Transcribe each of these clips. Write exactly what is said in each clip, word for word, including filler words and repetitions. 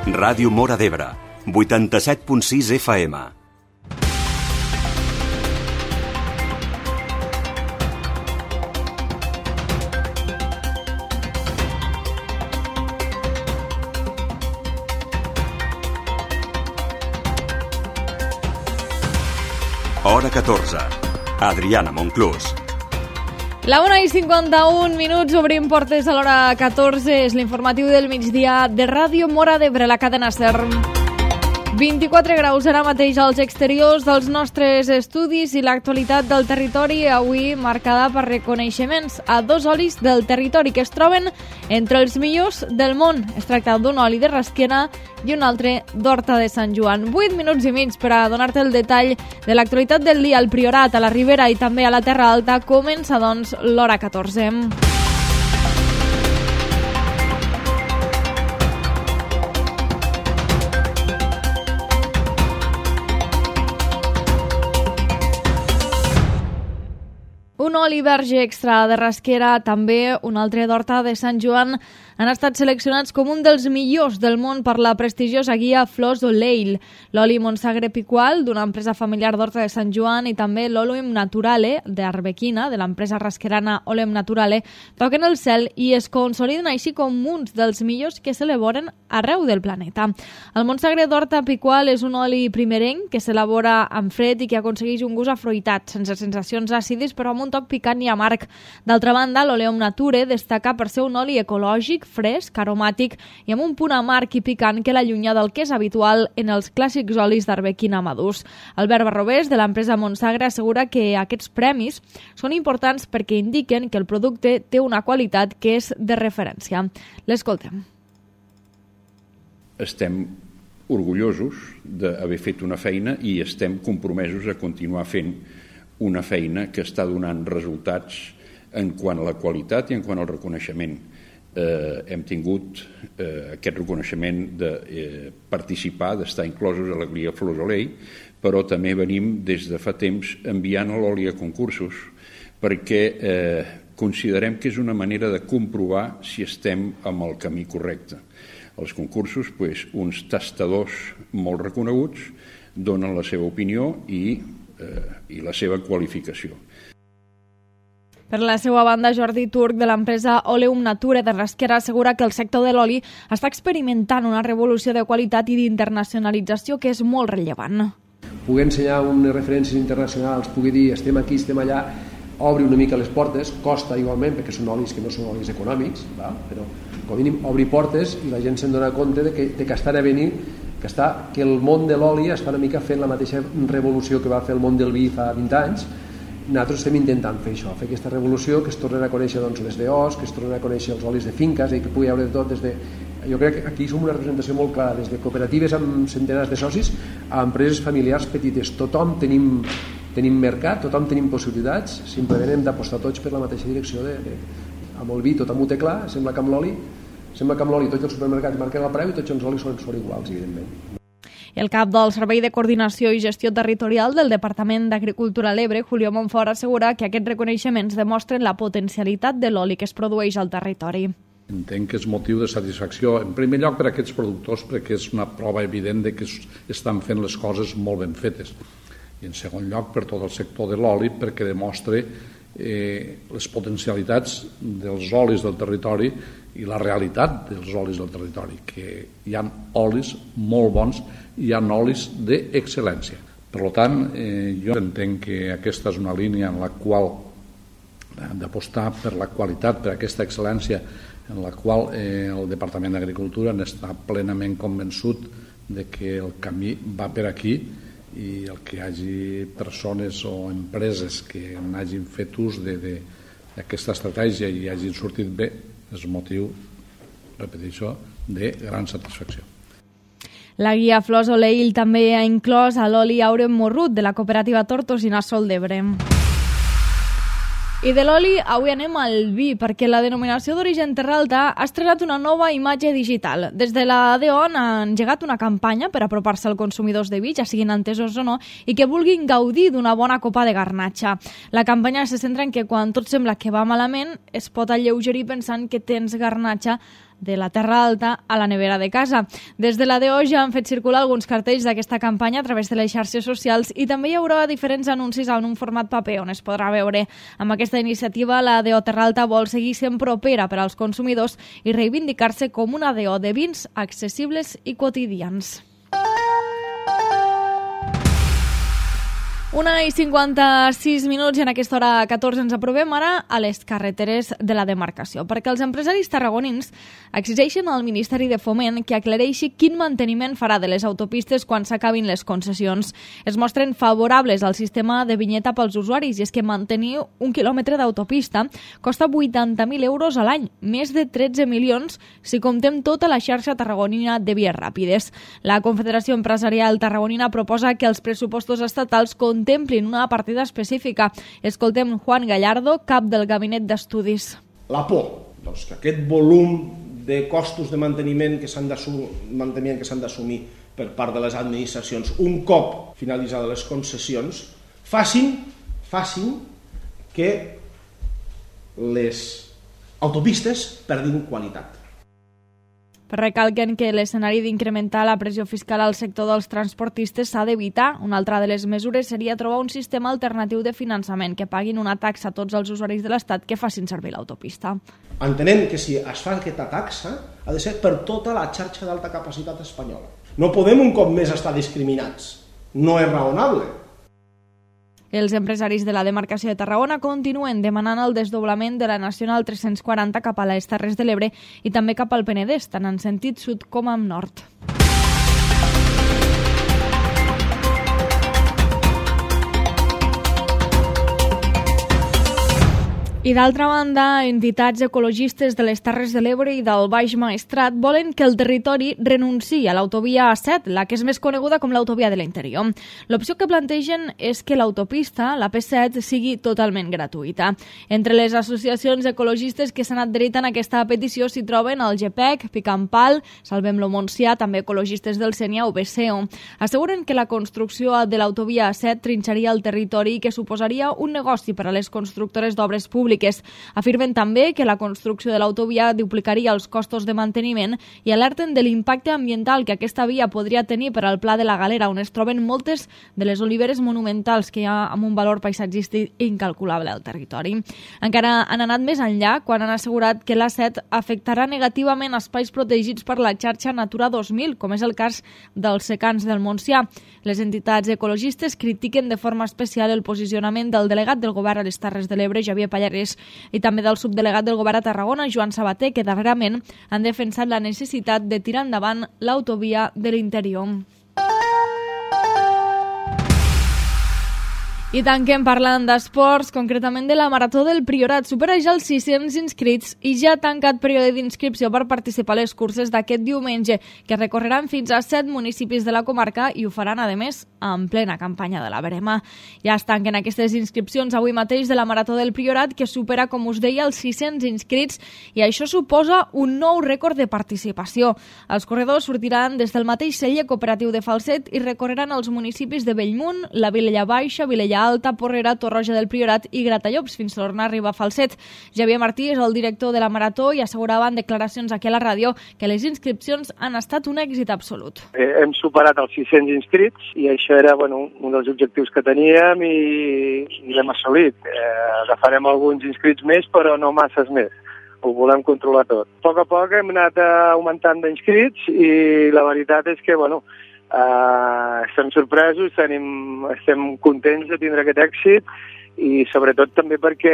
Ràdio Móra d'Ebre, vuitanta-set punt sis F M. Hora catorze. Adriana Monclús. La una i cinquanta-un minuts, obrim portes a l'hora catorze, és l'informatiu del migdia de Ràdio Móra d'Ebre, la cadena SER. vint-i-quatre graus ara mateix als exteriors dels nostres estudis i l'actualitat del territori avui marcada per reconeixements a dos olis del territori que es troben entre els millors del món. Es tracta d'un oli de Rasquera i un altre d'Horta de Sant Joan. Vuit minuts i mig per a donar-te el detall de l'actualitat del dia al Priorat, a la Ribera i també a la Terra Alta. Comença, doncs, l'hora catorze. Un oli verge extra de Rasquera, també un altre d'Horta de Sant Joan, han estat seleccionats com un dels millors del món per la prestigiosa guia Flors d'Oleil. L'oli Montsagre Picual, d'una empresa familiar d'Horta de Sant Joan, i també l'Olem Naturale, d'Arbequina, de l'empresa rasquerana Olem Naturale, toquen el cel i es consoliden així com uns dels millors que s'elaboren arreu del planeta. El Montsagre d'Horta Picual és un oli primerenc que s'elabora amb fred i que aconsegueix un gust afruitat, sense sensacions àcides, però amb un toc picant i amarg. D'altra banda, l'Oleum Nature destaca per ser un oli ecològic, fresc, aromàtic i amb un punt amarg i picant que l'allunya del que és habitual en els clàssics olis d'arbequina madurs. Albert Barrobés, de l'empresa Montsagre, assegura que aquests premis són importants perquè indiquen que el producte té una qualitat que és de referència. L'escoltem. Estem orgullosos d'haver fet una feina i estem compromesos a continuar fent una feina que està donant resultats en quant a la qualitat i en quant al reconeixement. Eh, hem tingut eh, aquest reconeixement de eh, participar, d'estar inclosos a la guia Flors d'Oleil, però també venim des de fa temps enviant l'oli a concursos perquè eh, considerem que és una manera de comprovar si estem amb el camí correcte. Els concursos, pues, uns tastadors molt reconeguts donen la seva opinió i, eh, i la seva qualificació. Per la seva banda, Jordi Turc, de l'empresa Oleum Nature de Rasquera, assegura que el sector de l'oli està experimentant una revolució de qualitat i d'internacionalització que és molt rellevant. Poder ensenyar unes referències internacionals, poder dir estem aquí, estem allà, obri una mica les portes, costa igualment, perquè són olis que no són olis econòmics, va? Però com a mínim obri portes i la gent se'n dona compte de que, de que estan a venir, que, està, que el món de l'oli està una mica fent la mateixa revolució que va fer el món del vi fa vint anys. Nosaltres estem intentant fer això, fer aquesta revolució, que es tornen a conèixer doncs, les D Os, que es tornen a conèixer els olis de finques, i que pugui haver de tot des de... Jo crec que aquí som una representació molt clara, des de cooperatives amb centenars de socis a empreses familiars petites. Tothom tenim, tenim mercat, tothom tenim possibilitats, simplement hem d'apostar tots per la mateixa direcció. De, de, amb el vi tothom ho té clar, sembla que amb l'oli, sembla que amb l'oli tots els supermercats marquen el preu i tots els olis són, són iguals, evidentment. El cap del Servei de Coordinació i Gestió Territorial del Departament d'Agricultura a l'Ebre, Julio Monfort, assegura que aquests reconeixements demostren la potencialitat de l'oli que es produeix al territori. Entenc que és motiu de satisfacció, en primer lloc per a aquests productors, perquè és una prova evident de que estan fent les coses molt ben fetes. I en segon lloc per tot el sector de l'oli, perquè demostra eh, les potencialitats dels olis del territori i la realitat dels olis del territori, que hi ha olis molt bons i hi ha olis d'excel·lència. Per tant, eh, jo entenc que aquesta és una línia en la qual hem d'apostar per la qualitat, per aquesta excel·lència, en la qual eh, el Departament d'Agricultura n'està plenament convençut de que el camí va per aquí i el que hi hagi persones o empreses que n'hagin fet ús d'aquesta estratègia i hagin sortit bé és motiu, repeteixo, de gran satisfacció. La guia Flors d'Oleil també ha inclòs a l'oli Aurem Morrut de la cooperativa Tortosina Sol d'Ebre. I de l'oli avui anem al vi, perquè la denominació d'origen Terra Alta ha estrenat una nova imatge digital. Des de la D O N ha engegat una campanya per apropar-se als consumidors de vi, ja siguin entesos o no, i que vulguin gaudir d'una bona copa de garnatxa. La campanya se centra en que quan tot sembla que va malament es pot alleugerir pensant que tens garnatxa de la Terra Alta a la nevera de casa. Des de la D O ja han fet circular alguns cartells d'aquesta campanya a través de les xarxes socials i també hi haurà diferents anuncis en un format paper on es podrà veure. Amb aquesta iniciativa, la D O Terra Alta vol seguir sent propera per als consumidors i reivindicar-se com una D O de vins accessibles i quotidians. Una i cinquanta-sis minuts i en aquesta hora catorze ens aprovem ara a les carreteres de la demarcació, perquè els empresaris tarragonins exigeixen al Ministeri de Foment que aclareixi quin manteniment farà de les autopistes quan s'acabin les concessions. Es mostren favorables al sistema de vinyeta pels usuaris i és que mantenir un quilòmetre d'autopista costa vuitanta mil euros a l'any, més de tretze milions si comptem tota la xarxa tarragonina de vies ràpides. La Confederació Empresarial Tarragonina proposa que els pressupostos estatals contemplin una partida específica. Escoltem Juan Gallardo, cap del Gabinet d'Estudis. La por, doncs, que aquest volum de costos de manteniment que s'han d'assumir, manteniment que s'han d'assumir per part de les administracions un cop finalitzades les concessions facin, facin que les autopistes perdin qualitat. Recalquen que l'escenari d'incrementar la pressió fiscal al sector dels transportistes s'ha d'evitar. Una altra de les mesures seria trobar un sistema alternatiu de finançament que paguin una taxa a tots els usuaris de l'Estat que facin servir l'autopista. Entenem que si es fa aquesta taxa ha de ser per tota la xarxa d'alta capacitat espanyola. No podem un cop més estar discriminats. No és raonable. Els empresaris de la demarcació de Tarragona continuen demanant el desdoblament de la Nacional tres-cents quaranta cap a les Terres de l'Ebre i també cap al Penedès, tant en sentit sud com en nord. I d'altra banda, entitats ecologistes de les Terres de l'Ebre i del Baix Maestrat volen que el territori renunciï a l'autovia A set, la que és més coneguda com l'autovia de l'interior. L'opció que plantegen és que l'autopista, la P set, sigui totalment gratuïta. Entre les associacions ecologistes que s'han adherit a aquesta petició s'hi troben el G P E C, Picampal, Salvem-lo Montsià, també ecologistes del Sénia o B C O. Asseguren que la construcció de l'autovia A set trinxaria el territori i que suposaria un negoci per a les constructores d'obres públiques. Afirmen també que la construcció de l'autovia duplicaria els costos de manteniment i alerten de l'impacte ambiental que aquesta via podria tenir per al Pla de la Galera, on es troben moltes de les oliveres monumentals que hi ha amb un valor paisatgístic incalculable al territori. Encara han anat més enllà quan han assegurat que l'A set afectarà negativament espais protegits per la xarxa Natura dos mil, com és el cas dels secans del Montsià. Les entitats ecologistes critiquen de forma especial el posicionament del delegat del govern a les Terres de l'Ebre, Javier Pallarès, i també del subdelegat del govern a Tarragona, Joan Sabater, que darrerament han defensat la necessitat de tirar endavant l'autovia de l'interior. I tanquem parlant d'esports, concretament de la Marató del Priorat. Supera ja els sis-cents inscrits i ja ha tancat període d'inscripció per participar a les curses d'aquest diumenge, que recorreran fins a set municipis de la comarca i ho faran, a més, en plena campanya de la verema. Ja es tanquen aquestes inscripcions avui mateix de la Marató del Priorat, que supera, com us deia, els sis-cents inscrits, i això suposa un nou rècord de participació. Els corredors sortiran des del mateix celler cooperatiu de Falset i recorreran els municipis de Bellmunt, la Vilella Baixa, Vilella Alta, Porrera, Torroja del Priorat i Gratallops, fins a tornar a arribar a Falset. Javier Martí és el director de la Marató i assegurava en declaracions aquí a la ràdio que les inscripcions han estat un èxit absolut. Eh, hem superat els sis-cents inscrits i això era bueno, un dels objectius que teníem i, i l'hem assolit. Eh, agafarem alguns inscrits més, però no masses més. Ho volem controlar tot. A poc a poc hem anat augmentant d'inscrits i la veritat és que, bueno, Uh, estem sorpresos, tenim, estem contents de tindre aquest èxit i sobretot també perquè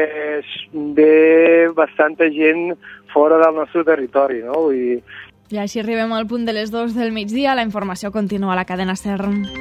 ve bastanta gent fora del nostre territori, no? I... I així arribem al punt de les dues del migdia. La informació continua a la cadena SER.